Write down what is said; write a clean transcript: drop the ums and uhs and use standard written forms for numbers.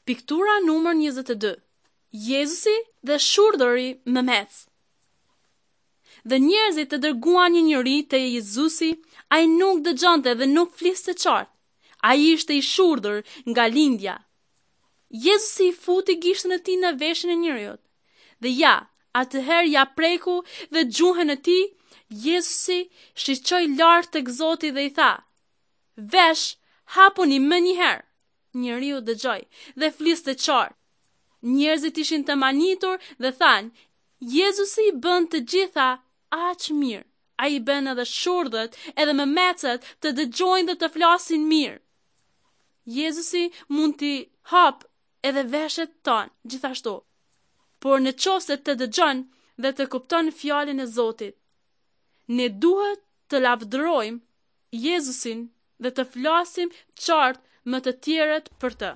Piktura numër 22. Jezusi dhe shurdhëri mëmec. Dhe njerëzit e dërguan një njeri te Jezusi, ai nuk dëgjonte dhe nuk fliste qartë. Ai ishte i shurdhër nga lindja. Jezusi i futi gishtin e tij në veshin e njeriut. Dhe ja, atëherë ia preku dhe gjuhën e tij, Jezusi shiqoi lart tek Zoti dhe i tha: Vesh, hapuni menjëherë. Njeriu dëgjoi dhe fliste qartë. Njerëzit ishin të mahnitur dhe thanë, Jezusi i bën të gjitha aq mirë. Ai i bën edhe shurdhët, edhe mëmecët të dëgjojnë dhe të flasin mirë. Jezusi mund t'i hapë edhe veshët tanë, gjithashtu. Por në qoftë se të dëgjon dhe të kupton fjalën e Zotit, ne duhet të lavdërojmë Jezusin dhe të flasim qartë me të tjerët për të.